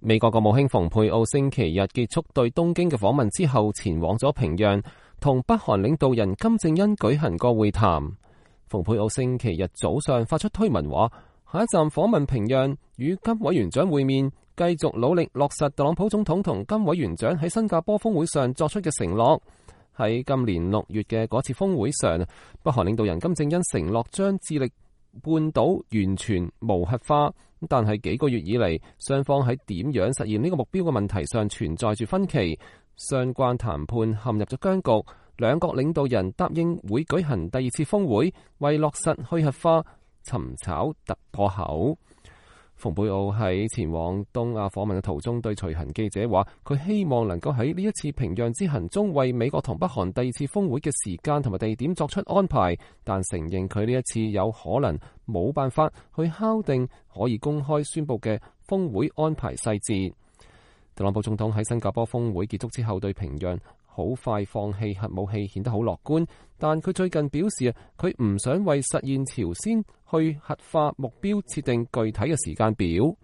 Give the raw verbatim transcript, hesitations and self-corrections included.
美國國務卿蓬佩奧星期日結束對東京嘅訪問之後，前往咗平壤，同北韓領導人金正恩舉行過會談。蓬佩奧星期日早上發出推文話，下一站訪問平壤，與金委員長會面，繼續努力落實特朗普總統同金委員長喺新加坡峰會上作出嘅承諾。喺今年六月嘅嗰次峰會上，北韓領導人金正恩承諾將致力半島完全無核化，但係幾個月以嚟，雙方喺點樣實現呢個目標嘅問題上存在住分歧，相關談判陷入咗僵局。兩國領導人答應會舉行第二次峰會，為落實去核化尋找突破口。蓬佩奧喺前往東亞訪問嘅途中，對隨行記者話：佢希望能夠喺呢一次平壤之行中，為美國同北韓第二次峰會嘅時間同埋地點作出安排，但承認佢呢一次有可能冇辦法去敲定可以公開宣佈嘅峰會安排細節。特朗普總統喺新加坡峰會結束之後，對平壤好快放棄核武器顯得好樂觀，但佢最近表示佢唔想為實現朝鮮去核化目標設定具體嘅時間表。